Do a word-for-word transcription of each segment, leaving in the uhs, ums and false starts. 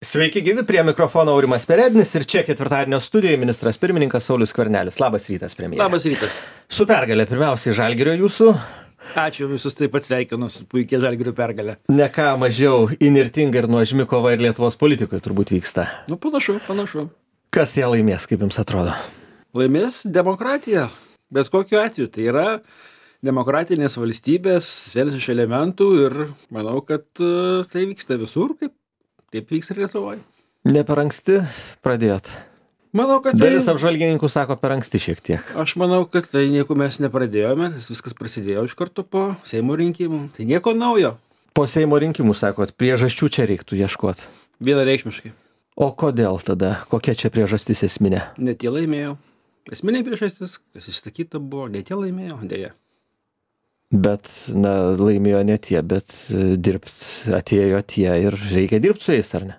Sveiki gyvi, prie mikrofono Aurimas Perednis ir čia ketvirtadienio studijoje ministras pirmininkas Saulius Skvernelis. Labas rytas, premjere. Labas rytas. Su pergalė pirmiausiai Žalgirio jūsų. Ačiū, visus taip pat sveikinu su puikia Žalgirio pergalė. Ne ką mažiau įnirtinga ir nuožmi kova ir Lietuvos politikoje turbūt vyksta. Nu, panašu, panašu. Kas ją laimės, kaip jums atrodo? Laimės demokratija. Bet kokiu atveju tai yra demokratinės valstybės vienas iš elementų ir manau, kad uh, tai vyksta visur, kaip taip vyks ir Lietuvoje. Ne per anksti pradėjot? Manau, kad tai... Dalis apžvalgininkų sako per anksti šiek tiek. Aš manau, kad tai nieko mes nepradėjome, viskas prasidėjo iš karto po Seimo rinkimų. Tai nieko naujo. Po Seimo rinkimų, sakot, priežasčių čia reiktų ieškoti. Vienareikšmiškai. O kodėl tada? Kokia čia priežastis esminė? Ne tie laimėjo. Esminė priežastis, kas išsakyta buvo, ne tie laimėjo, dėja. Bet, na, laimėjo ne tie, bet dirbt atėjo tie ir reikia dirbti su jais, ar ne?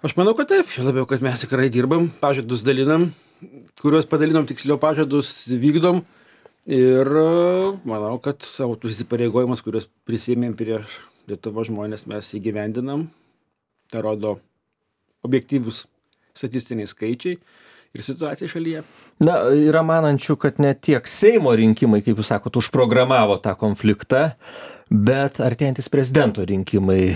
Aš manau, kad taip. Labiau, kad mes tikrai dirbam, pažadus dalinam, kuriuos padalinom, tiksliau pažadus vykdom. Ir manau, kad savo tus įsipareigojimus, kuriuos prisėmėm prieš Lietuvos žmonės, mes įgyvendinam. Tai rodo objektyvus statistiniai skaičiai ir situacija šalyje. Na, yra manančių, kad ne tiek Seimo rinkimai, kaip jūs sakot, užprogramavo tą konfliktą, bet artėjantis prezidento rinkimai.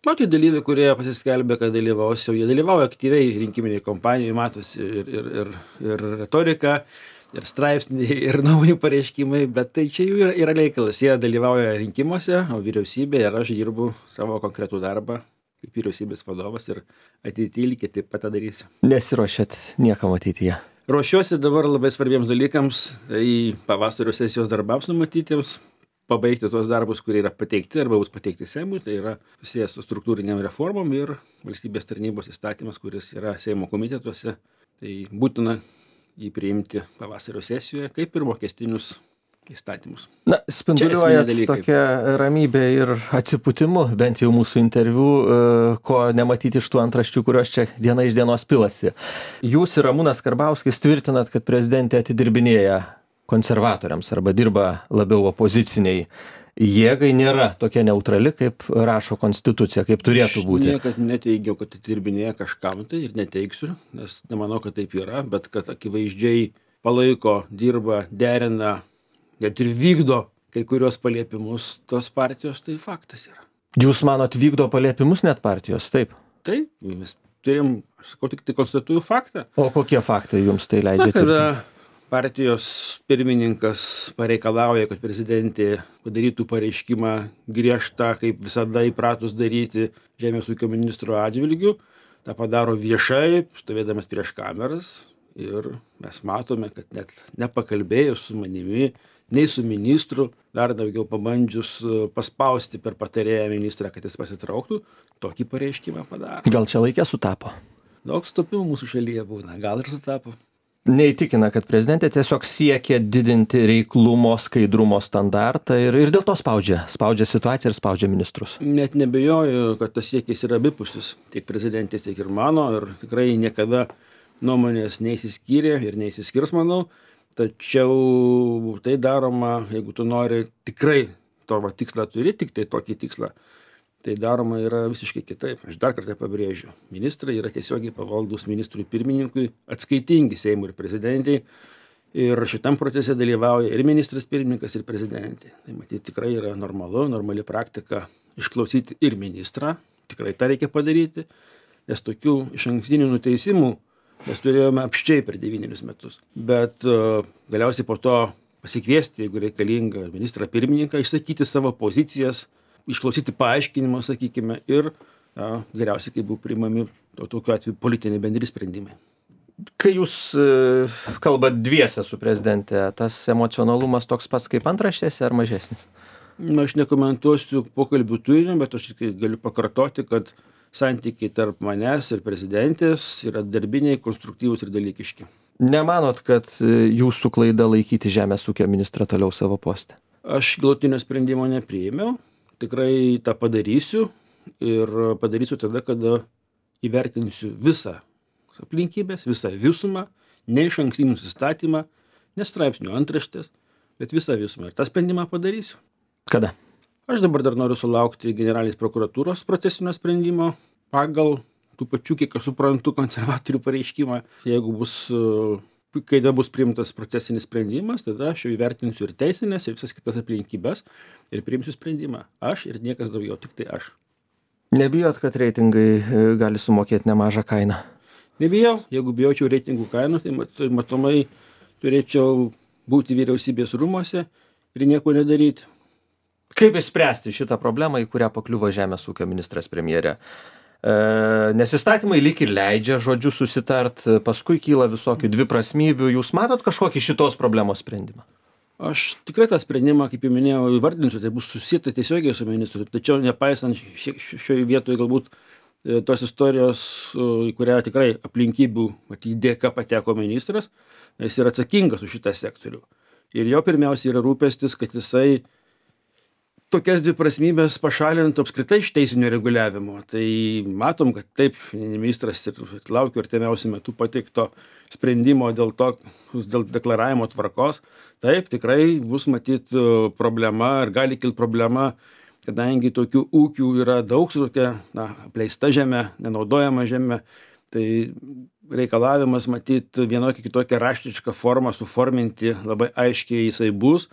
Tokie dalyviai, kurie pasiskelbė, kad dalyvaus, jau jie dalyvauja aktyviai rinkiminiai kompanijai, matosi ir, ir, ir, ir retorika, ir straipsniai, ir naujų pareiškimai, bet tai čia jų yra, yra reikalas. Jie dalyvauja rinkimuose, o vyriausybė ir aš dirbu savo konkretų darbą kaip vyriausybės vadovas ir ateityje lygiai taip pat tą darysiu. Nesiruošiat niekam ateityje? Ruošiuosi dabar labai svarbiems dalykams, į pavasario sesijos darbams numatytiems, pabaigti tuos darbus, kurie yra pateikti arba bus pateikti Seimui, tai yra susijęs su struktūriniam reformom ir valstybės tarnybos įstatymas, kuris yra Seimo komitetuose. Tai būtina jį priimti pavasario sesijoje, kaip ir mokestinius įstatymus. Na, spinduliuojat tokia ramybė ir atsipūtimu, bent jau mūsų interviu, ko nematyti iš tų antraščių, kurios čia diena iš dienos pilasi. Jūs ir Ramūnas Karbauskis tvirtinat, kad prezidentė atidirbinėja konservatoriams arba dirba labiau opoziciniai jėgai, nėra tokia neutrali, kaip rašo konstitucija, kaip turėtų būti. Aš niekad neteigiau, kad atidirbinėja kažkam tai ir neteigsiu, nes nemanau, kad taip yra, bet kad akivaizdžiai palaiko, dirba, derina, net ir vykdo kai kurios paliepimus tos partijos, tai faktas yra. Jūs manot, vykdo paliepimus net partijos, taip? Taip, mes turim, aš sakau, tik tai konstatuoju faktą. O kokie faktai jums tai leidžia? Na, kada partijos pirmininkas pareikalauja, kad prezidentė padarytų pareiškimą griežtą, kaip visada įpratus daryti žemės ūkio ministro atžvilgiu, tą padaro viešai, stovėdamas prieš kameras. Ir mes matome, kad net nepakalbėjus su manimi, nei su ministru, dar daugiau pabandžius paspausti per patarėją ministrą, kad jis pasitrauktų, tokį pareiškimą padaro. Gal čia laikė sutapo? Daug sutapimų mūsų šalyje būna, gal ir sutapo. Neįtikina, kad prezidentė tiesiog siekia didinti reiklumo, skaidrumo standartą ir, ir dėl to spaudžia. Spaudžia situaciją ir spaudžia ministrus. Net nebejoju, kad tas siekis yra abipusis, tiek prezidentės, tiek ir mano, ir tikrai niekada nuomonės neįsiskyrė ir neįsiskirs, manau. Tačiau tai daroma, jeigu tu nori tikrai to va, tikslą turi, tik tai tokį tikslą, tai daroma yra visiškai kitaip. Aš dar kartą pabrėžiu, ministrai yra tiesiogiai pavaldus ministrui pirmininkui, atskaitingi Seimui ir prezidentai. Ir šitam procese dalyvauja ir ministras pirmininkas, ir prezidentė. Tai matyti tikrai yra normalu, normali praktika išklausyti ir ministrą. Tikrai tą reikia padaryti, nes tokių išankstinių nuteisimų mes turėjome apščiai per devynerius metus. Bet uh, galiausiai po to pasikviesti, jeigu reikalinga, ministrą pirmininką, išsakyti savo pozicijas, išklausyti paaiškinimo, sakykime, ir uh, geriausiai, kai buvo priimami to, tokiu atveju politiniai bendri sprendimai. Kai jūs uh, kalbat dviese su prezidente, tas emocionalumas toks pats kaip antraštėse ar mažesnis? Na, aš nekomentuosiu pokalbių turinio, bet aš galiu pakartoti, kad santykiai tarp manęs ir prezidentės yra darbiniai, konstruktyvūs ir dalykiški. Nemanot, kad jūsų klaida laikyti žemės ūkio ministrą toliau savo poste? Aš galutinio sprendimo nepriėmiau, tikrai tą padarysiu ir padarysiu tada, kada įvertinsiu visą aplinkybės, visą visumą, ne išankstinį nusistatymą, ne straipsnių antraštės, bet visą visumą. Ir tą sprendimą padarysiu. Kada? Aš dabar dar noriu sulaukti generalinės prokuratūros procesinio sprendimo pagal tų pačių, kiek aš suprantu, konservatorių pareiškimą. Jeigu bus, kai da bus priimtas procesinis sprendimas, tada aš jau įvertinsiu ir teisinės, ir visas kitas aplinkybės ir priimsiu sprendimą. Aš ir niekas daugiau, tik tai aš. Nebijot, kad reitingai gali sumokėti nemažą kainą? Nebijau. Jeigu bijočiau reitingų kainų, tai matomai turėčiau būti vyriausybės rūmuose ir nieko nedaryti. Kaip išspręsti šitą problemą, į kurią pakliuvo žemės ūkio ministras premjerė? E, nes įstatymai lyg ir leidžia žodžiu susitart, paskui kyla visokių dviprasmybių. Jūs matot kažkokį šitos problemos sprendimą? Aš tikrai tą sprendimą, kaip jau minėjau, įvardinsiu, tai bus susita tiesiogiai su ministru. Tačiau nepaisant šioje vietoje galbūt tos istorijos, į kurią tikrai aplinkybių matyt dėka pateko ministras, jis yra atsakingas už šitą sektorių. Ir jo pirmiausia yra rūpestis, kad jisai tokias dviprasmybės pašalintų apskritai iš teisinio reguliavimo. Tai matom, kad taip, ministras ir laukia artimiausiu metu pateikto sprendimo dėl to, dėl deklaravimo tvarkos. Taip, tikrai bus matyt problema ir gali kilti problema, kadangi tokių ūkių yra daug, tokia na, apleista žemė, nenaudojama žemė, tai reikalavimas matyt vienokią kitokią raštišką formą suforminti labai aiškiai jisai bus.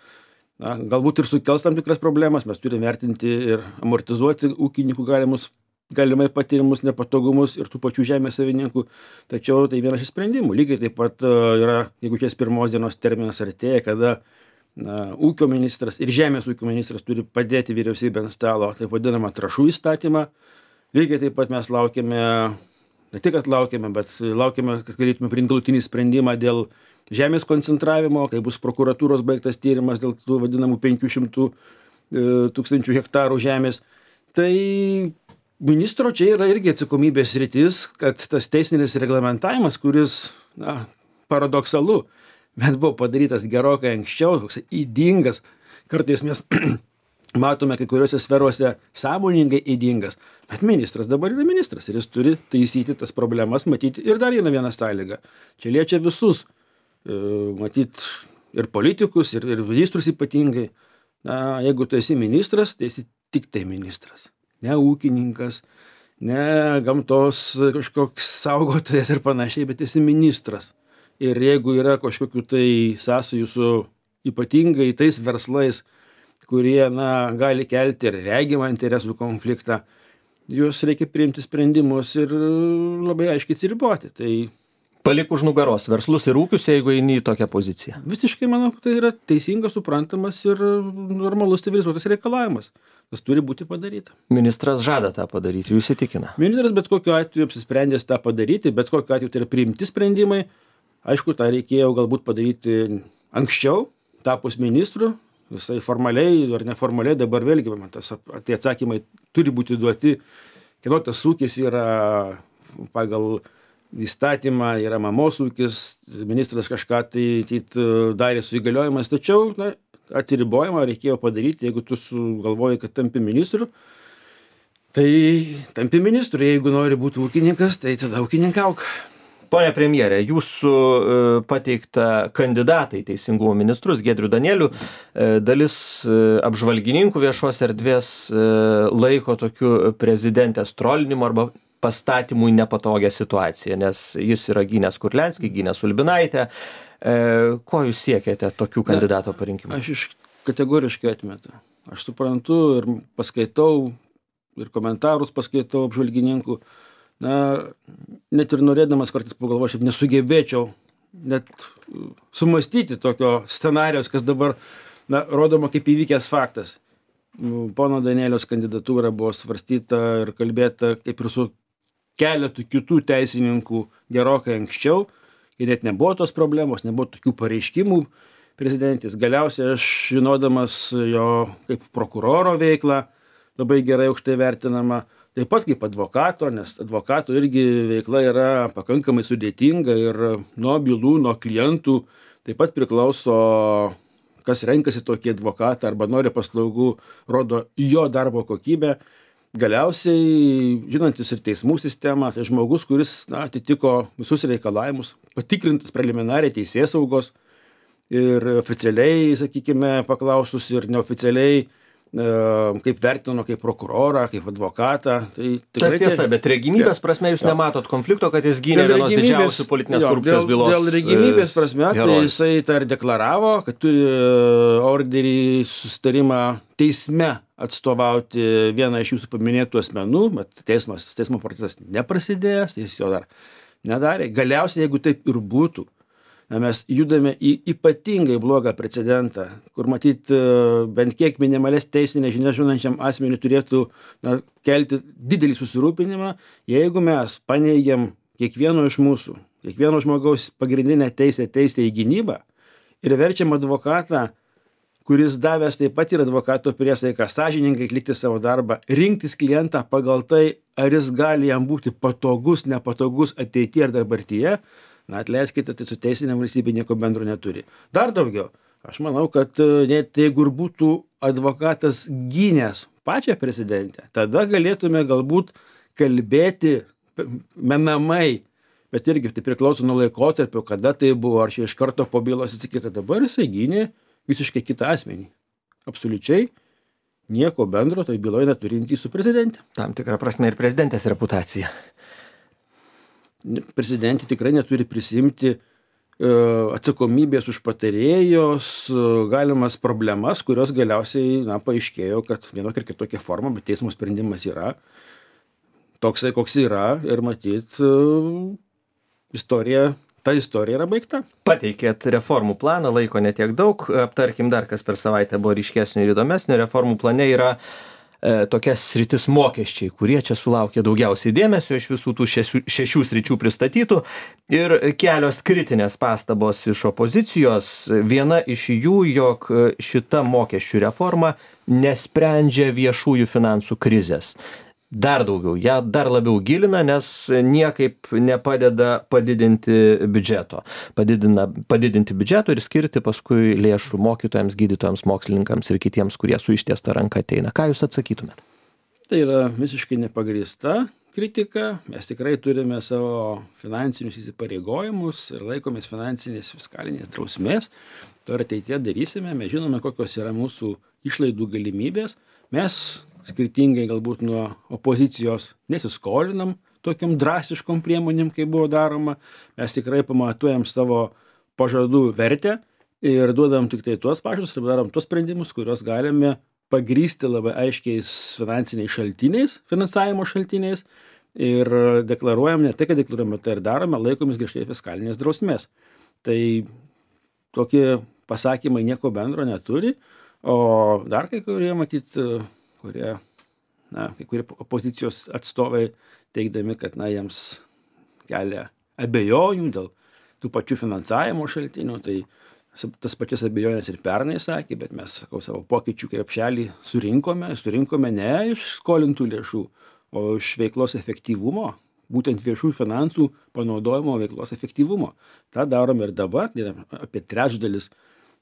Na, galbūt ir sukels tam tikras problemas, mes turime vertinti ir amortizuoti ūkininkų galimus, galimai patirimus nepatogumus ir tų pačių žemės savininkų, tačiau tai vienas iš sprendimų. Lygiai taip pat yra, jeigu šias pirmos dienos terminas artėja, kada na, ūkio ministras ir žemės ūkio ministras turi padėti vyriausybę ant stalo, taip vadinamą trąšų įstatymą. Lygiai taip pat mes laukiame, ne tik kad laukiame, bet laukiame, kad galėtume priimti galutinį sprendimą dėl žemės koncentravimo, kai bus prokuratūros baigtas tyrimas dėl tų vadinamų penkių šimtų tūkstančių hektarų žemės. Tai ministro čia yra irgi atsakomybės sritis, kad tas teisinis reglamentavimas, kuris, na, paradoksalu, bet buvo padarytas gerokai anksčiau, toks ydingas, kartais mes matome kai kuriuose sferuose sąmoningai ydingas, bet ministras dabar yra ministras ir jis turi taisyti tas problemas, matyti ir dar vieną vieną sąlygą. Čia liečia visus, matyt, ir politikus, ir, ir ministrus ypatingai. Na, jeigu tu esi ministras, tai esi tik tai ministras. Ne ūkininkas, ne gamtos kažkoks saugotojas ir panašiai, bet esi ministras. Ir jeigu yra kažkokių tai sąsajų su ypatingai tais verslais, kurie, na, gali kelti ir regimą interesų konfliktą, juos reikia priimti sprendimus ir labai aiškiai atsiriboti. Tai palik už nugaros verslus ir ūkius, jeigu eini į tokią poziciją. Visiškai manau, kad tai yra teisingas, suprantamas ir normalus civilizuotas reikalavimas. Tas turi būti padaryta. Ministras žada tą padaryti, jūs įtikina? Ministras bet kokiu atveju apsisprendęs tą padaryti, bet kokiu atveju tai yra priimti sprendimai. Aišku, tą reikėjo galbūt padaryti anksčiau, tapus ministru, visai formaliai ar neformaliai, dabar vėlgi, man tas tie atsakymai turi būti duoti, kieno tas ūkis yra pagal įstatymą, yra mamos ūkis, ministras kažką tai tit, darė su įgaliojimas, tačiau na, atsiribojimą reikėjo padaryti, jeigu tu sugalvoji, kad tampi ministru, tai tampi ministru, jeigu nori būti ūkininkas, tai tada ūkininkauk. Pone premjere, jūsų pateiktą kandidatą į teisingumo ministrus, Giedrių Danielių, dalis apžvalgininkų viešos erdvės laiko tokiu prezidentės trolinimu arba pastatymui nepatogią situaciją, nes jis yra gynęs Kurlianskį, gynęs Ulbinaitę. Ko jūs siekiate tokių kandidato parinkimų? Aš iš kategoriškai atmetu. Aš suprantu ir paskaitau, ir komentarus paskaitau apžvalgininkų. Na, net ir norėdamas kartais pagalvoju, aš nesugebėčiau net sumastyti tokio scenarijos, kas dabar na, rodoma kaip įvykęs faktas. Pono Danieliaus kandidatūra buvo svarstyta ir kalbėta kaip ir su keletų kitų teisininkų gerokai anksčiau, ir net nebuvo tos problemos, nebuvo tokių pareiškimų prezidentės. Galiausiai aš žinodamas jo kaip prokuroro veiklą, labai gerai aukštai vertinama, taip pat kaip advokato, nes advokato irgi veikla yra pakankamai sudėtinga ir nuo bylų, nuo klientų taip pat priklauso, kas renkasi tokį advokatą arba nori paslaugų, rodo jo darbo kokybę. Galiausiai, žinantis ir teismų sistemą, tai žmogus, kuris na, atitiko visus reikalavimus, patikrintas preliminariai teisėsaugos ir oficialiai, sakykime, paklausus ir neoficialiai kaip vertino, kaip prokurorą, kaip advokatą. Tai tas tiesa, bet regimybės prasme jūs nematot konflikto, kad jis gynė vienos didžiausių politinės korupcijos bylos. Dėl regimybės prasme, tai jisai tą ir deklaravo, kad turi orderį, susitarimą teisme atstovauti vieną iš jūsų paminėtų asmenų, bet teismas, teismo procesas neprasidėjęs, tai jis jo dar nedarė. Galiausiai, jeigu taip ir būtų, mes judame į ypatingai blogą precedentą, kur matyt bent kiek minimales teisinės žinias žinančiam asmeniui turėtų na, kelti didelį susirūpinimą, jeigu mes paneigiam kiekvieno iš mūsų, kiekvieno žmogaus pagrindinę teisę teisę į gynybą ir verčiam advokatą, kuris davęs taip pat ir advokato priesaiką sąžiningai atlikti savo darbą, rinktis klientą pagal tai, ar jis gali jam būti patogus, nepatogus ateityje ar dabartyje, na atleiskite, tai su teisinė valstybė nieko bendro neturi. Dar daugiau, aš manau, kad net jeigu ir būtų advokatas gynęs pačią prezidentę, tada galėtume galbūt kalbėti menamai, bet irgi tai priklauso nuo laikotarpio, kada tai buvo, ar čia iš karto po bylos atsisakyta. Dabar jisai gynė visiškai kitą asmenį. Absoliučiai nieko bendro toj byloje neturintį su prezidente. Tam tikrą prasme ir prezidentės reputacija. Prezidentė tikrai neturi prisimti uh, atsakomybės už patarėjos uh, galimas problemas, kurios galiausiai na, paaiškėjo, kad vienokia ir kitokia forma, bet teismo sprendimas yra toksai, koks yra ir matyt uh, istorija, ta istorija yra baigta. Pateikėt reformų planą, laiko netiek daug, aptarkim dar, kas per savaitę buvo ryškesnio ir įdomesnio. Reformų plane yra tokias sritis mokesčiai, kurie čia sulaukė daugiausiai dėmesio iš visų tų šešių, šešių sričių pristatytų ir kelios kritinės pastabos iš opozicijos. Viena iš jų, jog šita mokesčių reforma nesprendžia viešųjų finansų krizės. Dar daugiau, ją dar labiau gilina, nes niekaip nepadeda padidinti biudžeto. Padidina, padidinti biudžeto ir skirti paskui lėšų mokytojams, gydytojams, mokslininkams ir kitiems, kurie su ištiesta ranka ateina. Ką jūs atsakytumėt? Tai yra visiškai nepagrįsta kritika. Mes tikrai turime savo finansinius įsipareigojimus ir laikomės finansinės fiskalinės drausmės. To ir ateityje darysime. Mes žinome, kokios yra mūsų išlaidų galimybės. Mes skirtingai galbūt nuo opozicijos nesiskolinam tokiam drastiškom priemonėm, kaip buvo daroma. Mes tikrai pamatuojam savo pažadų vertę ir duodam tik tai tuos pažadus ir darom tuos sprendimus, kuriuos galime pagrįsti labai aiškiais finansiniais šaltiniais, finansavimo šaltiniais ir deklaruojam, ne tai, kad deklaruojame, tai ir darome, laikomis griežtai fiskalinės drausmės. Tai tokie pasakymai nieko bendro neturi, o dar kai kurie matyt kurie, na, kai kurie opozicijos atstovai teigdami, kad, na, jiems kelia abejonių dėl tų pačių finansavimo šaltinių, tai tas pačias abejonės ir pernai sakė, bet mes, sakau, savo pokyčių krepšelį surinkome, surinkome ne iš skolintų lėšų, o iš veiklos efektyvumo, būtent viešųjų finansų panaudojimo veiklos efektyvumo. Ta darome ir dabar, tai yra apie trečdalis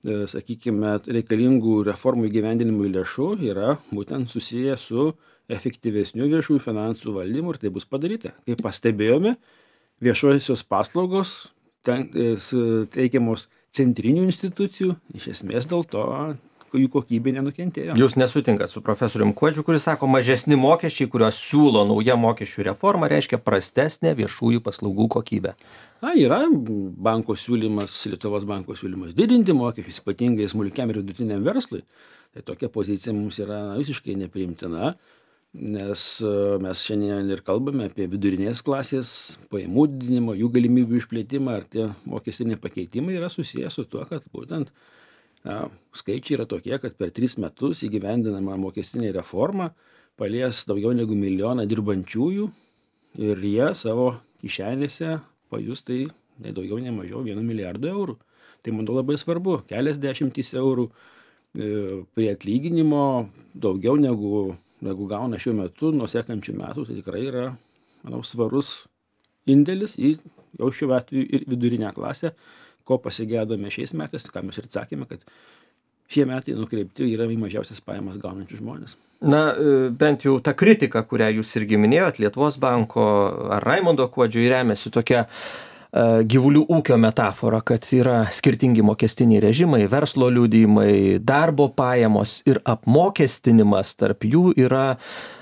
sakykime, reikalingų reformų įgyvendinimui lėšų yra būtent susiję su efektyvesniu viešųjų finansų valdymu ir tai bus padaryta. Kaip pastebėjome, viešosios paslaugos ten, teikiamos centrinių institucijų, iš esmės dėl to jų kokybė nenukentėjo. Jūs nesutinkat su profesorium Kuodžiu, kuris sako, mažesni mokesčiai, kuriuos siūlo nauja mokesčių reforma, reiškia prastesnė viešųjų paslaugų kokybė. Na, yra banko siūlymas, Lietuvos banko siūlymas didinti mokesčius, ypatingai smulkiam ir vidutiniam verslui. Tai tokia pozicija mums yra visiškai nepriimtina, nes mes šiandien ir kalbame apie vidurinės klasės pajamų didinimą, jų galimybių išplėtimą, ar tie mokestiniai pakeitimai yra susiję su tuo, kad būtent na, skaičiai yra tokie, kad per tris metus įgyvendinama mokestinė reforma palies daugiau negu milijoną dirbančiųjų ir jie savo kišenėse pajus tai ne daugiau, ne mažiau vieno milijardo eurų. Tai manau labai svarbu, kelias dešimtys eurų e, prie atlyginimo daugiau negu, negu gauna šiuo metu, nuo sekančių metų, tai tikrai yra, manau, svarus indėlis į jau šiuo atveju ir vidurinę klasę, ko pasigėdome šiais metais, ką mes ir sakėme, kad šie metai nukreipti yra į mažiausias pajamas gaunančius žmonės. Na, bent jau ta kritika, kurią jūs irgi minėjot, Lietuvos banko ar Raimondo Kuodžio remiasi tokia gyvulių ūkio metaforą, kad yra skirtingi mokestiniai režimai, verslo liudijimai, darbo pajamos ir apmokestinimas tarp jų yra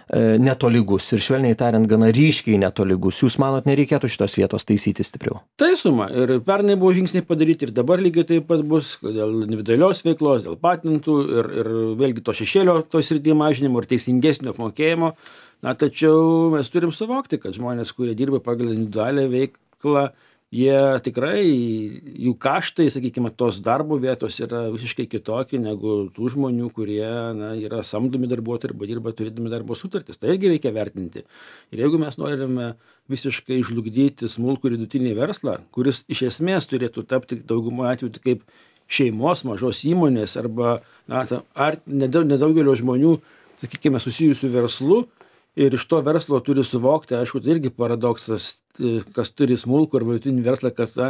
netolygus ir švelniai tariant gana ryškiai netolygus. Jūs manot, nereikėtų šitos vietos taisyti stipriau? Taisoma. Ir pernai buvo žingsniai padaryti ir dabar lygiai taip pat bus dėl individualios veiklos, dėl patentų ir, ir vėlgi to šešėlio to srityje mažinimo ir teisingesnio apmokėjimo. Na, tačiau mes turim suvokti, kad žmonės, kurie dirba pagal individualią veiklą, jie tikrai, jų kaštai, sakykime, tos darbo vietos yra visiškai kitokie negu tų žmonių, kurie na, yra samdomi darbuotojai arba dirba turėdami darbo sutartis. Tai irgi reikia vertinti. Ir jeigu mes norime visiškai žlugdyti smulkų ir vidutinį verslą, kuris iš esmės turėtų tapti daugumo atveju kaip šeimos mažos įmonės arba na, ar nedaugelio žmonių, sakykime, susijusių verslu, ir iš to verslo turi suvokti, aišku, tai irgi paradoksas, kas turi smulkų ar vidutinį verslą, kad na,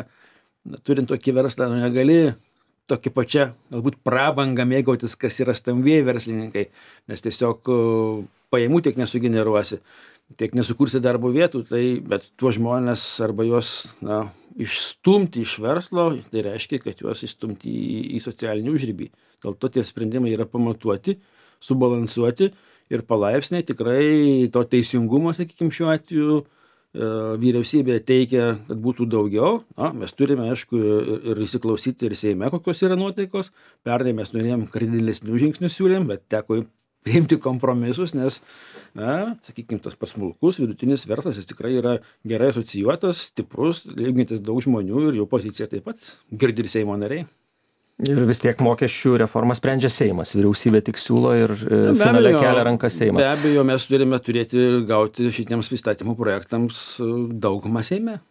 turint tokį verslą, nu, negali tokį pačią, galbūt prabangą mėgautis, kas yra stambieji verslininkai, nes tiesiog pajamų tiek nesugeneruosi, tiek nesukursi darbo vietų, tai, bet tuos žmonės arba juos na, išstumti iš verslo, tai reiškia, kad juos išstumti į, į socialinį užribį. Dėl to tie sprendimai yra pamatuoti, subalansuoti, ir palaipsniai tikrai to teisingumo, sakykime, šiuo atveju e, vyriausybė teikia, kad būtų daugiau. Na, mes turime, aišku, ir, ir įsiklausyti ir Seime, kokios yra nuotaikos. Pernai mes norėjom kardinalesnių žingsnių siūlėm, bet teko priimti kompromisus, nes, na, sakykime, tas pats smulkus, vidutinis verslas, jis tikrai yra gerai asocijuotas, stiprus, lygintis daug žmonių ir jų pozicija taip pat girdi ir Seimo nariai. Ir vis tiek mokesčių reformą sprendžia Seimas. Vyriausybė tik siūlo ir finale kelia rankas Seimas. Be abejo, mes turime turėti gauti šitiems įstatymų projektams daugumą Seime.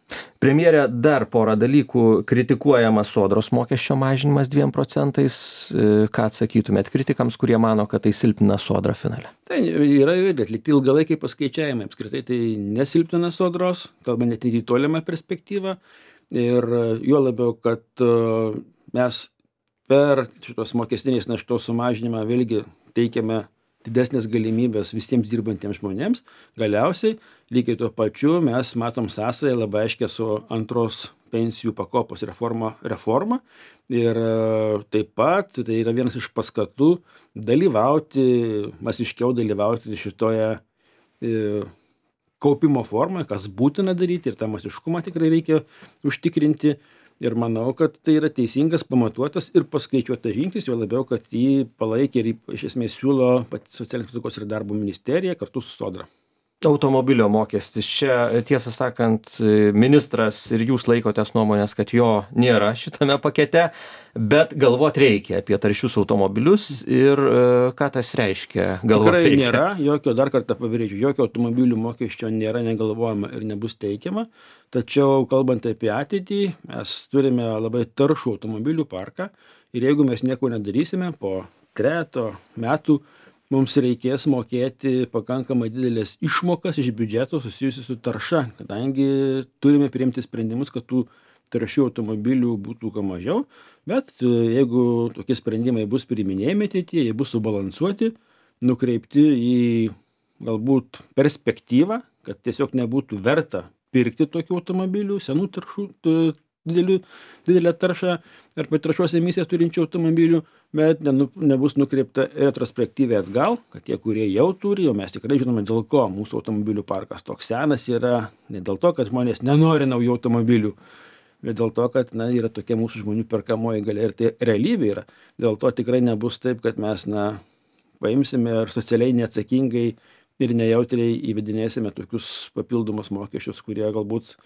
Premjere, dar porą dalykų. Kritikuojamas sodros mokesčio mažinimas dviem procentais. Ką atsakytumėt kritikams, kurie mano, kad tai silpnina sodrą finale? Tai yra atlikti ilgalaikiai paskaičiavimai. Apskritai tai nesilpnina sodros, kalba net ir į tolimą perspektyvą. Ir juo labiau, kad mes per šitos mokestinės naštos sumažinimą vėlgi teikiame didesnės galimybės visiems dirbantiems žmonėms. Galiausiai, lygiai tuo pačiu, mes matom sąsąją labai aiškę su antros pensijų pakopos reforma, reforma. Ir taip pat tai yra vienas iš paskatų dalyvauti, masiškiau dalyvauti šitoje e, kaupimo formoje, kas būtina daryti ir tą masiškumą tikrai reikia užtikrinti. Ir manau, kad tai yra teisingas, pamatuotas ir paskaičiuotas žingsnis, jo labiau, kad jį palaikė ir iš esmės siūlo pati Socialinės apsaugos ir darbo ministerija kartu su Sodra. Automobilio mokestis. Čia, tiesą sakant, ministras ir jūs laikotės nuomonės, kad jo nėra šitame pakete, bet galvot reikia apie taršius automobilius ir ką tas reiškia. Galvot Tikrai reikia. Nėra, jokio, dar kartą pabrėžiu, jokio automobilių mokesčio nėra negalvojama ir nebus teikiama. Tačiau, kalbant apie ateitį, mes turime labai taršų automobilių parką ir jeigu mes nieko nedarysime, po trejeto metų mums reikės mokėti pakankamai didelės išmokas iš biudžeto susijusių su tarša, kadangi turime priimti sprendimus, kad tų taršių automobilių būtų kuo mažiau, bet jeigu tokie sprendimai bus priiminėjami ateityje, jie bus subalansuoti, nukreipti į galbūt perspektyvą, kad tiesiog nebūtų verta pirkti tokių automobilių, senų taršų, didelių, didelę taršą arba taršos emisiją turinčių automobilių, bet ne, nebus nukreipta retrospektyviai atgal, kad tie, kurie jau turi, jau mes tikrai žinome, dėl ko mūsų automobilių parkas toks senas yra, ne dėl to, kad žmonės nenori naujų automobilių, bet dėl to, kad na, yra tokia mūsų žmonių perkamoji galia ir tai realybė yra. Dėl to tikrai nebus taip, kad mes na, paimsime ir socialiai neatsakingai ir nejautriai įvedinėsime tokius papildomus mokesčius, kurie galbūt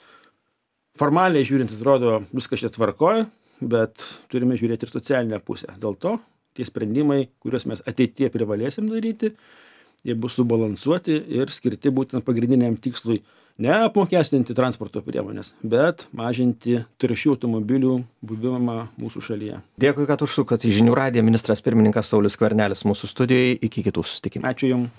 formaliai žiūrint atrodo viskas čia tvarkoja, bet turime žiūrėti ir socialinę pusę. Dėl to tie sprendimai, kuriuos mes ateityje privalėsim daryti, jie bus subalansuoti ir skirti būtent pagrindiniam tikslui ne apmokestinti transporto priemonės, bet mažinti taršių automobilių buvimą mūsų šalyje. Dėkui, kad užsukat į Žinių radiją. Ministras pirmininkas Saulius Skvernelis mūsų studijoje. Iki kitų susitikimų. Ačiū Jums.